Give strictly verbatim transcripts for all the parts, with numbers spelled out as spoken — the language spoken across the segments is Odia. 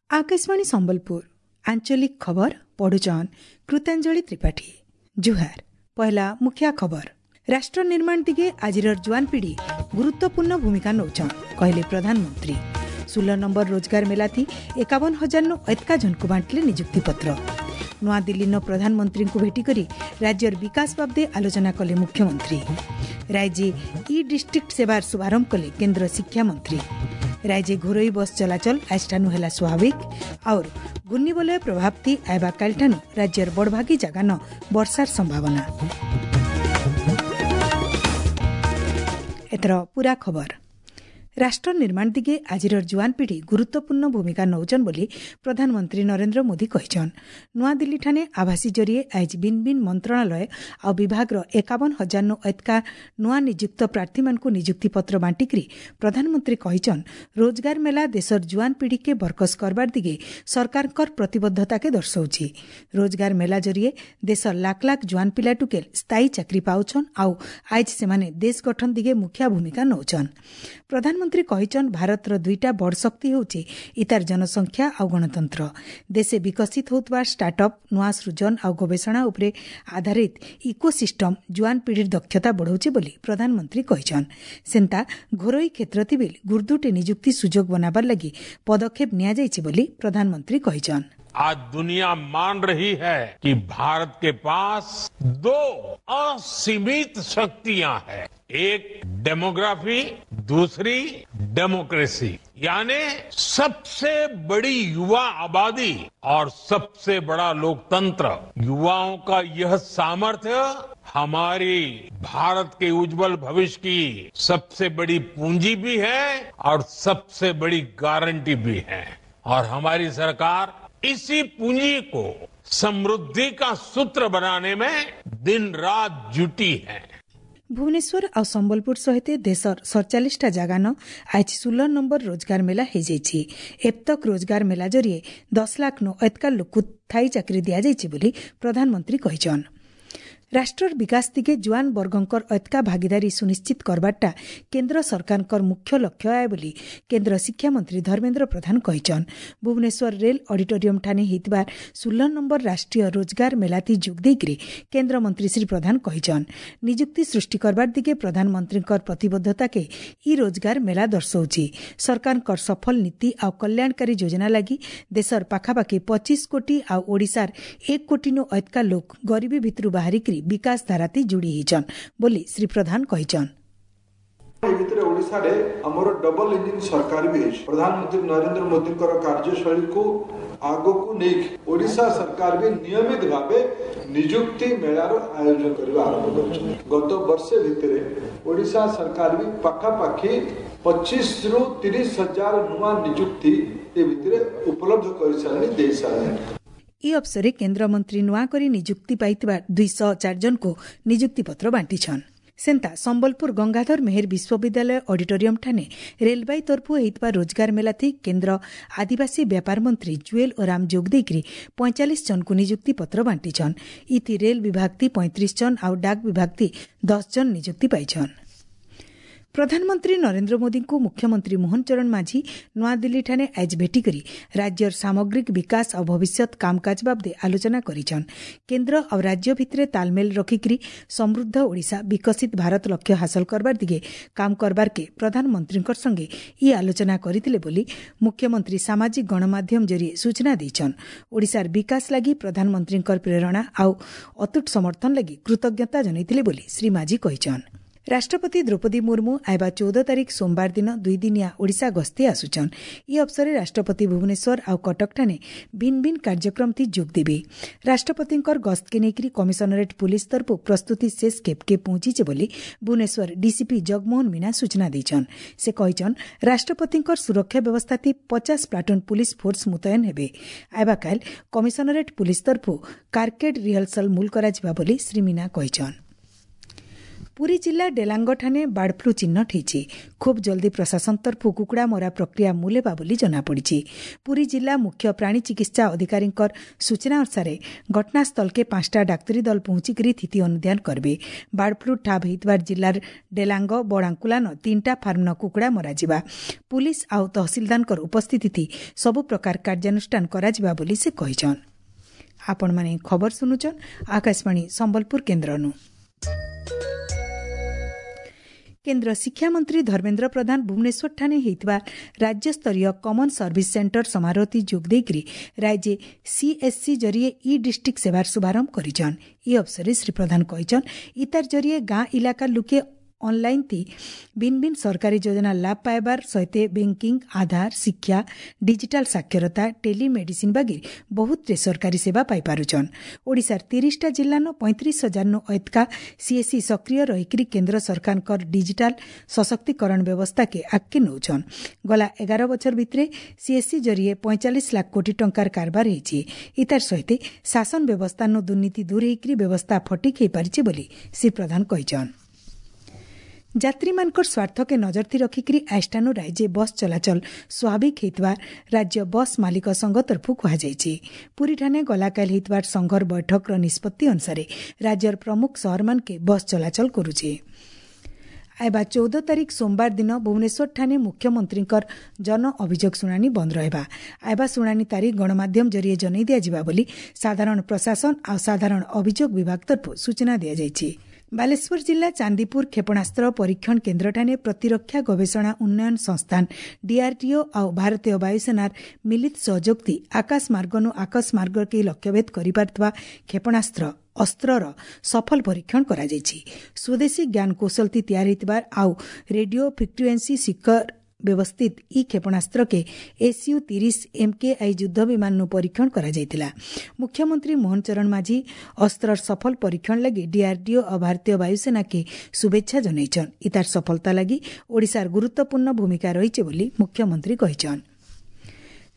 ଆକାଶବାଣୀ ସମ୍ବଲପୁର ଆଞ୍ଚଳିକ ଖବର ପଢୁଛନ୍ କୃତାଞ୍ଜଳି ତ୍ରିପାଠୀ ଜୁହାର ପହିଲା ମୁଖିଆ ଖବର ରାଷ୍ଟ୍ର ନିର୍ମାଣ ଦିଗେ ଆଜିର ଜୁଆନ ପିଢ଼ି ଗୁରୁତ୍ୱପୂର୍ଣ୍ଣ ଭୂମିକା ନଉଛନ୍ କହିଲେ ପ୍ରଧାନମନ୍ତ୍ରୀ ଷୋହଳ ନମ୍ବର ରୋଜଗାର ମେଲାଥି ଏକାବନ ହଜାରନୁ ଏତକା ଜଣକୁ ବାଣ୍ଟିଲେ ନିଯୁକ୍ତିପତ୍ର ନୂଆଦିଲ୍ଲୀନ ପ୍ରଧାନମନ୍ତ୍ରୀଙ୍କୁ ଭେଟିକରି ରାଜ୍ୟର ବିକାଶ ବାବଦେ ଆଲୋଚନା କଲେ ମୁଖ୍ୟମନ୍ତ୍ରୀ ରାଜ୍ୟେ ଇ ଡିଷ୍ଟ୍ରିକ୍ଟ ସେବାର ଶୁଭାରମ୍ଭ କଲେ କେନ୍ଦ୍ର ଶିକ୍ଷାମନ୍ତ୍ରୀ ରାଜ୍ୟେ ଘରୋଇ ବସ୍ ଚଳାଚଳ ଆଜଠାନୁ ହେଲା ସ୍ୱାଭାବିକ और ଘୂର୍ଣ୍ଣିବଳୟ ପ୍ରଭାବ ଥି ଆଇବା କାଲିଠାନୁ ରାଜ୍ୟର ବଡ଼ଭାଗୀ ଜାଗାନ ବର୍ଷାର ସମ୍ଭାବନା ଏଥର ପୁରା ଖବର ରାଷ୍ଟ୍ର ନିର୍ମାଣ ଦିଗେ ଆଜିର ଜୁଆନ ପିଢ଼ି ଗୁରୁତ୍ୱପୂର୍ଣ୍ଣ ଭୂମିକା ନଉଛନ୍ ବୋଲି ପ୍ରଧାନମନ୍ତ୍ରୀ ନରେନ୍ଦ୍ର ମୋଦି କହିଛନ୍ ନୂଆଦିଲ୍ଲୀଠାନେ ଆଭାସୀ ଜରିଏ ଆଜି ଭିନ୍ ଭିନ୍ ମନ୍ତ୍ରଣାଳୟ ଆଉ ବିଭାଗର ଏକାବନ ହଜାରନୁ ଏତକା ନୂଆ ନିଯୁକ୍ତ ପ୍ରାର୍ଥୀମାନଙ୍କୁ ନିଯୁକ୍ତିପତ୍ର ବାଣ୍ଟିକରି ପ୍ରଧାନମନ୍ତ୍ରୀ କହିଛନ୍ ରୋଜଗାର ମେଲା ଦେଶର ଜୁଆନ ପିଢ଼ିକେ ବରକସ କରବାର ଦିଗେ ସରକାରଙ୍କର ପ୍ରତିବଦ୍ଧତାକେ ଦର୍ଶାଉଛି ରୋଜଗାର ମେଲା ଜରିଏ ଦେଶର ଲାଖ ଲାଖ ଜୁଆନ ପିଲା ଟୁକେଲ ସ୍ଥାୟୀ ଚାକିରି ପାଉଛନ୍ ଆଉ ଆଜି ସେମାନେ ଦେଶ ଗଠନ ଦିଗେ ମୁଖ୍ୟ ଭୂମିକା ନଉଛନ୍ ପ୍ରଧାନମନ୍ତ୍ରୀ କହିଛନ୍ ଭାରତର ଦୁଇଟା ବଡ଼ ଶକ୍ତି ହେଉଛି ଇତାର ଜନସଂଖ୍ୟା ଆଉ ଗଣତନ୍ତ୍ର ଦେଶେ ବିକଶିତ ହେଉଥିବା ଷ୍ଟାର୍ଟଅପ୍ ନୂଆ ସୃଜନ ଆଉ ଗବେଷଣା ଉପରେ ଆଧାରିତ ଇକୋସିଷ୍ଟମ ଜୁଆନ ପିଢ଼ିର ଦକ୍ଷତା ବଢ଼ାଉଛି ବୋଲି ପ୍ରଧାନମନ୍ତ୍ରୀ କହିଛନ୍ ସେନ୍ତା ଘରୋଇ କ୍ଷେତ୍ର ଥିବିଲ୍ ଗୁର୍ଦୁଟେ ନିଯୁକ୍ତି ସୁଯୋଗ ବନାବାର ଲାଗି ପଦକ୍ଷେପ ନିଆଯାଇଛି ବୋଲି ପ୍ରଧାନମନ୍ତ୍ରୀ କହିଛନ୍ आज दुनिया मान रही है कि भारत के पास दो असीमित शक्तियां हैं एक डेमोग्राफी दूसरी डेमोक्रेसी यानी सबसे बड़ी युवा आबादी और सबसे बड़ा लोकतंत्र युवाओं का यह सामर्थ्य हमारी भारत के उज्जवल भविष्य की सबसे बड़ी पूंजी भी है और सबसे बड़ी गारंटी भी है और हमारी सरकार इसी पूंजी को समृद्धि का सूत्र बनाने में दिन रात जुटी है ଭୁବନେଶ୍ୱର ଆଉ ସମ୍ବଲପୁର ସହିତ ଦେଶର ସତଚାଳିଶଟା ଜାଗାନ ଆଜି ଷୋହଳ ନମ୍ବର ରୋଜଗାର ମେଳା ହୋଇଯାଇଛି ଏତକ ରୋଜଗାର ମେଳା ଜରିଏ ଦଶ ଲାଖ ନୁ ଏତକା ଲୋକକୁ ସ୍ଥାୟୀ ଚାକିରି ଦିଆଯାଇଛି ବୋଲି ପ୍ରଧାନମନ୍ତ୍ରୀ କହିଛନ୍ ରାଷ୍ଟ୍ରର ବିକାଶ ଦିଗେ ଜୁଆନ ବର୍ଗଙ୍କର ଏତକା ଭାଗିଦାରୀ ସୁନିଶ୍ଚିତ କରବାରଟା କେନ୍ଦ୍ର ସରକାରଙ୍କର ମୁଖ୍ୟ ଲକ୍ଷ୍ୟ ଆଏ ବୋଲି କେନ୍ଦ୍ର ଶିକ୍ଷାମନ୍ତ୍ରୀ ଧର୍ମେନ୍ଦ୍ର ପ୍ରଧାନ କହିଛନ୍ ଭୁବନେଶ୍ୱର ରେଲ୍ ଅଡିଟୋରିୟମ ଠାନେ ହେଇଥିବା ଷୋହଳ ନମ୍ବର ରାଷ୍ଟ୍ରୀୟ ରୋଜଗାର ମେଲାତି ଯୋଗ ଦେଇକରି କେନ୍ଦ୍ରମନ୍ତ୍ରୀ ଶ୍ରୀ ପ୍ରଧାନ କହିଛନ୍ ନିଯୁକ୍ତି ସୃଷ୍ଟି କରବାର ଦିଗେ ପ୍ରଧାନମନ୍ତ୍ରୀଙ୍କର ପ୍ରତିବଦ୍ଧତାକେ ଇ ରୋଜଗାର ମେଳା ଦର୍ଶାଉଛି ସରକାରଙ୍କର ସଫଳ ନୀତି ଆଉ କଲ୍ୟାଣକାରୀ ଯୋଜନା ଲାଗି ଦେଶର ପାଖାପାଖି ପଚିଶ କୋଟି ଆଉ ଓଡ଼ିଶାର ଏକ କୋଟିନୁ ଏତକା ଲୋକ ଗରିବୀ ଭିତରୁ ବାହାରିକରି ବିକାଶ ଧାରାତି ଯୋଡ଼ି ହେଇଛନ୍ ବୋଲି ଶ୍ରୀ ପ୍ରଧାନ କହିଛନ୍ ଏ ଭିତରେ ଓଡ଼ିଶାରେ ଆମର ଡବଲ ଇଞ୍ଜିନ ସରକାର ବି ହେଇଛି ପ୍ରଧାନମନ୍ତ୍ରୀ ନରେନ୍ଦ୍ର ମୋଦିଙ୍କର କାର୍ଯ୍ୟଶୈଳୀକୁ ଆଗକୁ ନେଇକି ଓଡ଼ିଶା ସରକାର ବି ନିୟମିତ ଭାବେ ନିଯୁକ୍ତି ମେଳାର ଆୟୋଜନ କରିବା ଆରମ୍ଭ କରିଛନ୍ତି ଗତ ବର୍ଷେ ଭିତରେ ଓଡ଼ିଶା ସରକାର ବି ପାଖାପାଖି ପଚିଶରୁ ତିରିଶ ହଜାର ନୂଆ ନିଯୁକ୍ତି ଏ ଭିତରେ ଉପଲବ୍ଧ କରିସାରିଲେଣି ଦେଇସାରିଲେଣି ଏହି ଅବସରରେ କେନ୍ଦ୍ରମନ୍ତ୍ରୀ ନୂଆ କରି ନିଯୁକ୍ତି ପାଇଥିବା ଦୁଇଶହ ଚାରି ଜଣଙ୍କୁ ନିଯୁକ୍ତିପତ୍ର ବାଣ୍ଟିଛନ୍ ସେନ୍ତା ସମ୍ବଲପୁର ଗଙ୍ଗାଧର ମେହେର ବିଶ୍ୱବିଦ୍ୟାଳୟ ଅଡିଟୋରିୟମ ଠାନେ ରେଲବାଇ ତରଫୁ ହେଇଥିବା ରୋଜଗାର ମେଲାଥି କେନ୍ଦ୍ର ଆଦିବାସୀ ବ୍ୟାପାର ମନ୍ତ୍ରୀ ଜୁଏଲ ଓରାମ ଯୋଗ ଦେଇକରି ପଇଁଚାଳିଶ ଜଣଙ୍କୁ ନିଯୁକ୍ତିପତ୍ର ବାଣ୍ଟିଛନ୍ ଇଥି ରେଲ ବିଭାଗ ଥି ପଇଁତିରିଶ ଜଣ ଆଉ ଡାକ ବିଭାଗ ଥି ଦଶ ଜଣ ନିଯୁକ୍ତି ପାଇଛନ୍ ପ୍ରଧାନମନ୍ତ୍ରୀ ନରେନ୍ଦ୍ର ମୋଦିଙ୍କୁ ମୁଖ୍ୟମନ୍ତ୍ରୀ ମୋହନ ଚରଣ ମାଝୀ ନୂଆଦିଲ୍ଲୀଠାରେ ଆଜି ଭେଟିକରି ରାଜ୍ୟର ସାମଗ୍ରିକ ବିକାଶ ଆଉ ଭବିଷ୍ୟତ କାମକାଜ ବାବଦେ ଆଲୋଚନା କରିଛନ୍ କେନ୍ଦ୍ର ଆଉ ରାଜ୍ୟ ଭିତରେ ତାଲମେଲ ରଖିକରି ସମୃଦ୍ଧ ଓଡ଼ିଶା ବିକଶିତ ଭାରତ ଲକ୍ଷ୍ୟ ହାସଲ କରବାର ଦିଗେ କାମ କରବାରକେ ପ୍ରଧାନମନ୍ତ୍ରୀଙ୍କ ସଙ୍ଗେ ଇ ଆଲୋଚନା କରିଥିଲେ ବୋଲି ମୁଖ୍ୟମନ୍ତ୍ରୀ ସାମାଜିକ ଗଣମାଧ୍ୟମ ଜରିଏ ସୂଚନା ଦେଇଛନ୍ ଓଡ଼ିଶାର ବିକାଶ ଲାଗି ପ୍ରଧାନମନ୍ତ୍ରୀଙ୍କର ପ୍ରେରଣା ଆଉ ଅତୁଟ ସମର୍ଥନ ଲାଗି କୃତଜ୍ଞତା ଜଣାଇଥିଲେ ବୋଲି ଶ୍ରୀ ମାଝୀ କହିଛନ୍ ରାଷ୍ଟ୍ରପତି ଦ୍ରୌପଦୀ ମୁର୍ମୁ ଆଇବା ଚଉଦ ତାରିଖ ସୋମବାର ଦିନ ଦୁଇଦିନିଆ ଓଡ଼ିଶା ଗସ୍ତି ଆସୁଛନ୍ ଏହି ଅବସରରେ ରାଷ୍ଟ୍ରପତି ଭୁବନେଶ୍ୱର ଆଉ କଟକଠାନେ ଭିନ୍ ଭିନ୍ କାର୍ଯ୍ୟକ୍ରମଥି ଯୋଗ ଦେବେ ରାଷ୍ଟ୍ରପତିଙ୍କର ଗସ୍ତକେ ନେଇକରି କମିଶନରେଟ୍ ପୁଲିସ୍ ତରଫରୁ ପ୍ରସ୍ତୁତି ଶେଷ ଖେପକେ ପହଞ୍ଚିছে ବୋଲି ଭୁବନେଶ୍ୱର ଡିସିପି ଜଗମୋହନ ମୀନା ସୂଚନା ଦେଇଛନ୍ ସେ କହିଛନ୍ ରାଷ୍ଟ୍ରପତିଙ୍କର ସୁରକ୍ଷା ବ୍ୟବସ୍ଥାଥି ପଚାଶ ପ୍ଲାଟୁନ୍ ପୁଲିସ୍ ଫୋର୍ସ ମୁତୟନ ହେବେ ଆଇବାକାଲ କମିଶନରେଟ୍ ପୁଲିସ୍ ତରଫରୁ କାର୍କେଡ୍ ରିହର୍ସାଲ ମୂଲ କରାଯିବା ବୋଲି ଶ୍ରୀ ମୀନା କହିଛନ୍ ପୁରୀ ଜିଲ୍ଲା ଡେଲାଙ୍ଗଠାନେ ବାର୍ଡ ଫ୍ଲୁ ଚିହ୍ନଟ ହୋଇଛି। ଖୁବ୍ ଜଲ୍ଦି ପ୍ରଶାସନ ତରଫୁ କୁକୁଡ଼ା ମରା ପ୍ରକ୍ରିୟା ମୂଲ ହେବା ବୋଲି ଜଣାପଡ଼ିଛି। ପୁରୀ ଜିଲ୍ଲା ମୁଖ୍ୟ ପ୍ରାଣୀ ଚିକିତ୍ସା ଅଧିକାରୀଙ୍କର ସୂଚନା ଅନୁସାରେ ଘଟଣାସ୍ଥଳକେ ପାଞ୍ଚଟା ଡାକ୍ତରୀ ଦଳ ପହଞ୍ଚିକରି ସ୍ଥିତି ଅନୁଧ୍ୟାନ କରିବେ। ବାର୍ଡ ଫ୍ଲୁ ଠାବ ହୋଇଥିବା ଜିଲ୍ଲାର ଡେଲାଙ୍ଗ, ବଡ଼ାଙ୍କୁଲାନ ତିନିଟା ଫାର୍ମନ କୁକୁଡ଼ା ମରାଯିବା। ପୁଲିସ୍ ଆଉ ତହସିଲଦାରଙ୍କର ଉପସ୍ଥିତି ସବୁ ପ୍ରକାର କାର୍ଯ୍ୟାନୁଷ୍ଠାନ କରାଯିବା ବୋଲି ସେ କହିଛନ୍। ଆପଣମାନେ ଖବର ଶୁଣୁଛନ୍ ଆକାଶବାଣୀ ସମ୍ବଲପୁର କେନ୍ଦ୍ରନୁ। କେନ୍ଦ୍ର ଶିକ୍ଷାମନ୍ତ୍ରୀ ଧର୍ମେନ୍ଦ୍ର ପ୍ରଧାନ ଭୁବନେଶ୍ୱରଠାରେ ହୋଇଥିବା ରାଜ୍ୟସ୍ତରୀୟ କମନ୍ ସର୍ଭିସ୍ ସେଣ୍ଟର ସମାରୋହରେ ଯୋଗ ଦେଇକରି ରାଜ୍ୟ ସିଏସ୍ସି ଜରିଏ ଇ ଡିଷ୍ଟ୍ରିକ୍ଟ ସେବାର ଶୁଭାରମ୍ଭ କରିଛନ୍। ଇ ଅବସରରେ ଶ୍ରୀ ପ୍ରଧାନ କହିଛନ୍, ଇତାର ଜରିଏ ଗାଁ ଇଲାକାର ଲୁକେ ଅନଲାଇନ୍ ଥି ଭିନ୍ ଭିନ୍ ସରକାରୀ ଯୋଜନା ଲାଭ ପାଇବାର ସହିତ ବ୍ୟାଙ୍କିଂ, ଆଧାର, ଶିକ୍ଷା, ଡିଜିଟାଲ ସାକ୍ଷରତା, ଟେଲିମେଡିସିନ୍ ବାଗିର ବହୁତଟେ ସରକାରୀ ସେବା ପାଇପାରୁଛନ୍। ଓଡ଼ିଶାର ତିରିଶଟା ଜିଲ୍ଲାନ ପଇଁତିରିଶ ହଜାରନୁ ଅଧିକା ସିଏସ୍ସି ସକ୍ରିୟ ରହିକରି କେନ୍ଦ୍ର ସରକାରଙ୍କର ଡିଜିଟାଲ ସଶକ୍ତିକରଣ ବ୍ୟବସ୍ଥାକେ ଆଗକେ ନେଉଛନ୍। ଗଲା ଏଗାର ବଛର ଭିତରେ ସିଏସ୍ସି ଜରିଏ ପଇଁଚାଳିଶ ଲାଖ କୋଟି ଟଙ୍କାର କାରବାର ହେଇଛି। ଇତାର ସହିତ ଶାସନ ବ୍ୟବସ୍ଥାନୁ ଦୁର୍ନୀତି ଦୂର ହେଇକରି ବ୍ୟବସ୍ଥା ଫଟିକ୍ ହେଇପାରିଛି ବୋଲି ଶ୍ରୀ ପ୍ରଧାନ କହିଛନ୍। ଯାତ୍ରୀମାନଙ୍କର ସ୍ୱାର୍ଥକେ ନଜରଥି ରଖିକରି ଆଇଷ୍ଟାନୁ ରାଜ୍ୟ ବସ୍ ଚଳାଚଳ ସ୍ୱାଭାବିକ ହୋଇଥିବା ରାଜ୍ୟ ବସ୍ ମାଲିକ ସଂଘ ତରଫରୁ କୁହାଯାଇଛି। ପୁରୀଠାନେ ଗଲାକାଲି ହୋଇଥିବା ସଂଘର ବୈଠକର ନିଷ୍ପତ୍ତି ଅନୁସାରେ ରାଜ୍ୟର ପ୍ରମୁଖ ସହରମାନକେ ବସ୍ ଚଳାଚଳ କରୁଛି। ଆଇବା ଚଉଦ ତାରିଖ ସୋମବାର ଦିନ ଭୁବନେଶ୍ୱରଠାରେ ମୁଖ୍ୟମନ୍ତ୍ରୀଙ୍କର ଜନ ଅଭିଯୋଗ ଶୁଣାଣି ବନ୍ଦ ରହିବା। ଆଇବା ଶୁଣାଣି ତାରିଖ ଗଣମାଧ୍ୟମ ଜରିଏ ଜଣାଇ ଦିଆଯିବା ବୋଲି ସାଧାରଣ ପ୍ରଶାସନ ଆଉ ସାଧାରଣ ଅଭିଯୋଗ ବିଭାଗ ତରଫରୁ ସୂଚନା ଦିଆଯାଇଛି। ବାଲେଶ୍ୱର ଜିଲ୍ଲା ଚାନ୍ଦିପୁର କ୍ଷେପଣାସ୍ତ୍ର ପରୀକ୍ଷଣ କେନ୍ଦ୍ରଠାରେ ପ୍ରତିରକ୍ଷା ଗବେଷଣା ଉନ୍ନୟନ ସଂସ୍ଥାନ ଡିଆର୍ଡିଓ ଆଉ ଭାରତୀୟ ବାୟୁସେନାର ମିଳିତ ସହଯୋଗଥି ଆକାଶ ମାର୍ଗନୁ ଆକାଶ ମାର୍ଗକେ ଲକ୍ଷ୍ୟଭେଦ କରିପାରୁଥିବା କ୍ଷେପଣାସ୍ତ୍ର ଅସ୍ତ୍ରର ସଫଳ ପରୀକ୍ଷଣ କରାଯାଇଛି। ସ୍ୱଦେଶୀ ଜ୍ଞାନକୌଶଳଥି ତିଆରି ହୋଇଥିବା ଆଉ ରେଡିଓ ଫ୍ରିକ୍ୟୁଏନ୍ସି ଶିଖର ବ୍ୟବସ୍ଥିତ ଇ କ୍ଷେପଣାସ୍ତ୍ରକେ ଏସ୍ୟୁ ତିରିଶ ଏମ୍କେଆଇ ଯୁଦ୍ଧ ବିମାନରୁ ପରୀକ୍ଷଣ କରାଯାଇଥିଲା। ମୁଖ୍ୟମନ୍ତ୍ରୀ ମୋହନ ଚରଣ ମାଝୀ ଅସ୍ତ୍ରର ସଫଳ ପରୀକ୍ଷଣ ଲାଗି ଡିଆର୍ଡିଓ ଓ ଭାରତୀୟ ବାୟୁସେନାକେ ଶୁଭେଚ୍ଛା ଜଣାଇଛନ୍। ଇତାର ସଫଳତା ଲାଗି ଓଡ଼ିଶାର ଗୁରୁତ୍ୱପୂର୍ଣ୍ଣ ଭୂମିକା ରହିଛି ବୋଲି ମୁଖ୍ୟମନ୍ତ୍ରୀ କହିଛନ୍।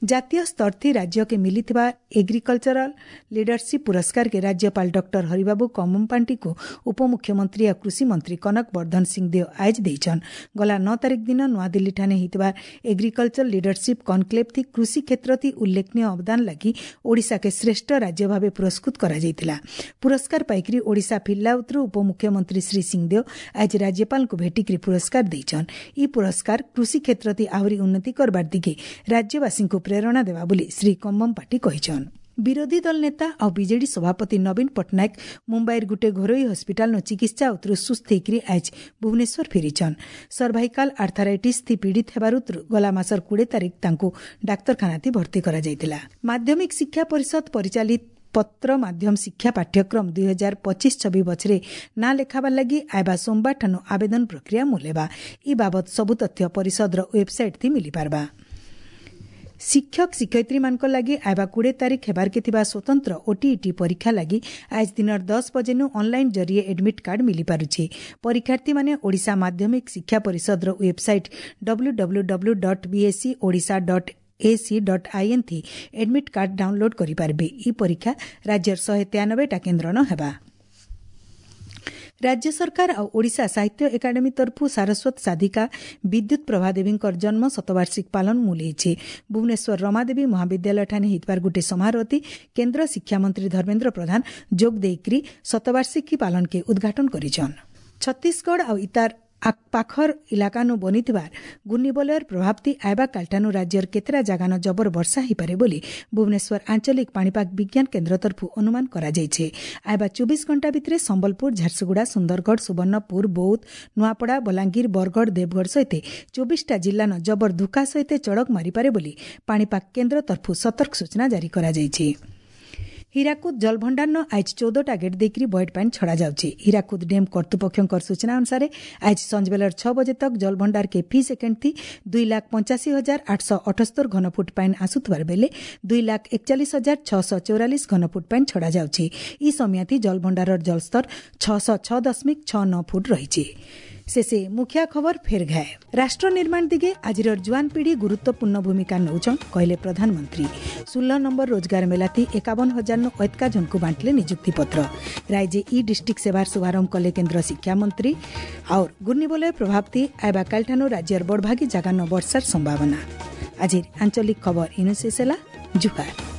ଜାତୀୟ ସ୍ତରଥି ରାଜ୍ୟକେ ମିଳିଥିବା ଏଗ୍ରିକଲଚରାଲ ଲିଡରସିପ୍ ପୁରସ୍କାରକେ ରାଜ୍ୟପାଳ ଡକ୍ଟର ହରିବାବୁ କମ୍ମପାଣ୍ଟିକୁ ଉପମୁଖ୍ୟମନ୍ତ୍ରୀ ଓ କୃଷିମନ୍ତ୍ରୀ କନକ ବର୍ଦ୍ଧନ ସିଂଦେଓ ଆଜ ଦେଇଛନ୍। ଗଲା ନଅ ତାରିଖ ଦିନ ନୂଆଦିଲ୍ଲୀଠାରେ ହୋଇଥିବା ଏଗ୍ରିକଲଚର ଲିଡରସିପ୍ କନକ୍ଲେଭ୍ ଥି କୃଷି କ୍ଷେତ୍ରଥି ଉଲ୍ଲେଖନୀୟ ଅବଦାନ ଲାଗି ଓଡ଼ିଶାକେ ଶ୍ରେଷ୍ଠ ରାଜ୍ୟ ଭାବେ ପୁରସ୍କୃତ କରାଯାଇଥିଲା। ପୁରସ୍କାର ପାଇକରି ଓଡ଼ିଶା ଫିରିଲା ଉତରୁ ଉପମୁଖ୍ୟମନ୍ତ୍ରୀ ଶ୍ରୀ ସିଂଦେଓ ଆଜି ରାଜ୍ୟପାଳଙ୍କୁ ଭେଟିକରି ପୁରସ୍କାର ଦେଇଛନ୍। ଇ ପୁରସ୍କାର କୃଷି କ୍ଷେତ୍ରଥି ଆହୁରି ଉନ୍ନତି କରବାର ଦିଗେ ରାଜ୍ୟବାସୀଙ୍କୁ ପ୍ରେରଣା ଦେବା ବୋଲି ଶ୍ରୀ କମ୍ମପାଟି କହିଛନ୍। ବିରୋଧୀ ଦଳ ନେତା ଆଉ ବିଜେଡି ସଭାପତି ନବୀନ ପଟ୍ଟନାୟକ ମୁମ୍ବାଇର ଗୋଟିଏ ଘରୋଇ ହସ୍ପିଟାଲନ ଚିକିତ୍ସା ଉତରୁ ସୁସ୍ଥ ହେଇକରି ଆଜ ଭୁବନେଶ୍ୱର ଫେରିଛନ୍। ସର୍ଭାଇକାଲ ଆର୍ଥାରାଇଟିସ୍ ଥି ପୀଡ଼ିତ ହେବାରୁ ଗଲା ମାସର କୋଡ଼ିଏ ତାରିଖ ତାଙ୍କୁ ଡାକ୍ତରଖାନାଥି ଭର୍ତ୍ତି କରାଯାଇଥିଲା। ମାଧ୍ୟମିକ ଶିକ୍ଷା ପରିଷଦ ପରିଚାଳିତ ପତ୍ର ମାଧ୍ୟମ ଶିକ୍ଷା ପାଠ୍ୟକ୍ରମ ଦୁଇ ହଜାର ପଚିଶ ଛବି ବଛରେ ନାଁ ଲେଖାବାର ଲାଗି ଆଇବା ସୋମବାରଠାନୁ ଆବେଦନ ପ୍ରକ୍ରିୟା ମୂଲେବା। ଇ ବାବଦ ସବୁ ତଥ୍ୟ ପରିଷଦର ୱେବସାଇଟ୍ ଥି ମିଳିପାରବା। ଶିକ୍ଷକ ଶିକ୍ଷୟିତ୍ରୀମାନଙ୍କ ଲାଗି ଆଇବା କୋଡ଼ିଏ ତାରିଖ ହେବାର୍କେ ଥିବା ସ୍ୱତନ୍ତ୍ର ଓଟିଇଟି ପରୀକ୍ଷା ଲାଗି ଆଜ ଦିନର ଦଶ ବଜେନୁ ଅନଲାଇନ୍ ଜରିଏ ଆଡମିଟ୍ କାର୍ଡ ମିଳିପାରୁଛି। ପରୀକ୍ଷାର୍ଥୀମାନେ ଓଡ଼ିଶା ମାଧ୍ୟମିକ ଶିକ୍ଷା ପରିଷଦର website W W W dot BSE Odisha dot AC dot IN ଥି ଆଡମିଟ୍ କାର୍ଡ ଡାଉନଲୋଡ୍ କରିପାରିବେ। ଇ ପରୀକ୍ଷା ରାଜ୍ୟର ଶହେ ତେୟାନବେଟା କେନ୍ଦ୍ରନ ହେବା। ରାଜ୍ୟ ସରକାର ଆଉ ଓଡ଼ିଶା ସାହିତ୍ୟ ଏକାଡେମୀ ତରଫରୁ ସାରସ୍ୱତ ସାଧିକା ବିଦ୍ୟୁତ୍ ପ୍ରଭା ଦେବୀଙ୍କର ଜନ୍ମ ଶତବାର୍ଷିକ ପାଳନ ମୂଲ ହେଇଛି। ଭୁବନେଶ୍ୱର ରମାଦେବୀ ମହାବିଦ୍ୟାଳୟଠାରେ ହେଇଥିବାର ଗୋଟିଏ ସମାରୋହତି କେନ୍ଦ୍ର ଶିକ୍ଷାମନ୍ତ୍ରୀ ଧର୍ମେନ୍ଦ୍ର ପ୍ରଧାନ ଯୋଗ ଦେଇକରି ଶତବାର୍ଷିକୀ ପାଳନକେ ଉଦ୍ଘାଟନ କରିଛନ୍। ଛତିଶଗଡ଼ ଆଉ ଇତାର ପାଖର ଇଲାକାନୁ ବନିଥିବା ଘୂର୍ଣ୍ଣିବଳୟର ପ୍ରଭାବତି ଆଇବା କାଲଠାନୁ ରାଜ୍ୟର କେତେଟା ଜାଗାନ ଜବର ବର୍ଷା ହୋଇପାରେ ବୋଲି ଭୁବନେଶ୍ୱର ଆଞ୍ଚଳିକ ପାଣିପାଗ ବିଜ୍ଞାନ କେନ୍ଦ୍ର ତରଫରୁ ଅନୁମାନ କରାଯାଇଛି। ଆଇବା ଚବିଶ ଘଣ୍ଟା ଭିତରେ ସମ୍ବଲପୁର, ଝାରସୁଗୁଡ଼ା, ସୁନ୍ଦରଗଡ଼, ସୁବର୍ଣ୍ଣପୁର, ବୌଦ୍ଧ, ନୂଆପଡ଼ା, ବଲାଙ୍ଗୀର, ବରଗଡ଼, ଦେବଗଡ଼ ସହିତ ଚବିଶଟା ଜିଲ୍ଲାନ ଜବର ଧୁକା ସହିତ ଚଡ଼କ ମାରିପାରେ ବୋଲି ପାଣିପାଗ କେନ୍ଦ୍ର ତରଫରୁ ସତର୍କ ସୂଚନା ଜାରି କରାଯାଇଛି। ହୀରାକୁଦ ଜଳଭଣ୍ଡାରନ ଆଜ ଚଉଦଟା ଗେଟ୍ ଦେଇକରି ବଏଟ୍ ପାଣି ଛଡ଼ାଯାଉଛି। ହୀରାକୁଦ ଡ୍ୟାମ୍ କର୍ତ୍ତୃପକ୍ଷଙ୍କ ସୂଚନା ଅନୁସାରେ ଆଜ ସଞ୍ଜବେଲର ଛଅ ବଜେ ତକ ଜଳଭଣ୍ଡାରକେ ଫି ସେକେଣ୍ଡ ଥି ଦୁଇ ଲାଖ ପଞ୍ଚାଅଶୀ ହଜାର ଆଠଶହ ଅଠସ୍ତର ଘନଫୁଟ ପାଣି ଆସୁଥିବାର ବେଲେ ଦୁଇ ଲାଖ ଏକଚାଳିଶ ହଜାର ଛଅଶହ ଚଉରାଳିଶ ଘନଫୁଟ ପାଣି ଛଡ଼ାଯାଉଛି। ଇ ସମୟାଥି ଜଳଭଣ୍ଡାରର ଜଳସ୍ତର ଛଅଶହ ଛଅ ଦଶମିକ ଛଅ ନଅ ଫୁଟ ରହିଛି। ଶେଷେ ମୁଖିଆ ଖବର ଫେର ଘାଏ। ରାଷ୍ଟ୍ର ନିର୍ମାଣ ଦିଗେ ଆଜିର ଜୁଆନ ପିଢ଼ି ଗୁରୁତ୍ୱପୂର୍ଣ୍ଣ ଭୂମିକା ନେଉଛନ୍, କହିଲେ ପ୍ରଧାନମନ୍ତ୍ରୀ। ଷୋହଳ ନମ୍ବର ରୋଜଗାର ମେଲାତି ଏକାବନ ହଜାର ଐତକା ଜଣକୁ ବାଣ୍ଟିଲେ ନିଯୁକ୍ତି ପତ୍ର। ରାଜ୍ୟ ଇ ଡିଷ୍ଟ୍ରିକ୍ଟ ସେବାର ଶୁଭାରମ୍ଭ କଲେ କେନ୍ଦ୍ର ଶିକ୍ଷାମନ୍ତ୍ରୀ। ଆଉ ଘୂର୍ଣ୍ଣିବଳୟ ପ୍ରଭାବତି ଆଇବା କାଲିଠାନୁ ରାଜ୍ୟର ବଡ଼ଭାଗୀ ଜାଗାନ ବର୍ଷାର ସମ୍ଭାବନା। ଆଜିର ଆଞ୍ଚଳିକ ଖବର ଇନୁ ଶେଷ ହେଲା। ଜୁହାର।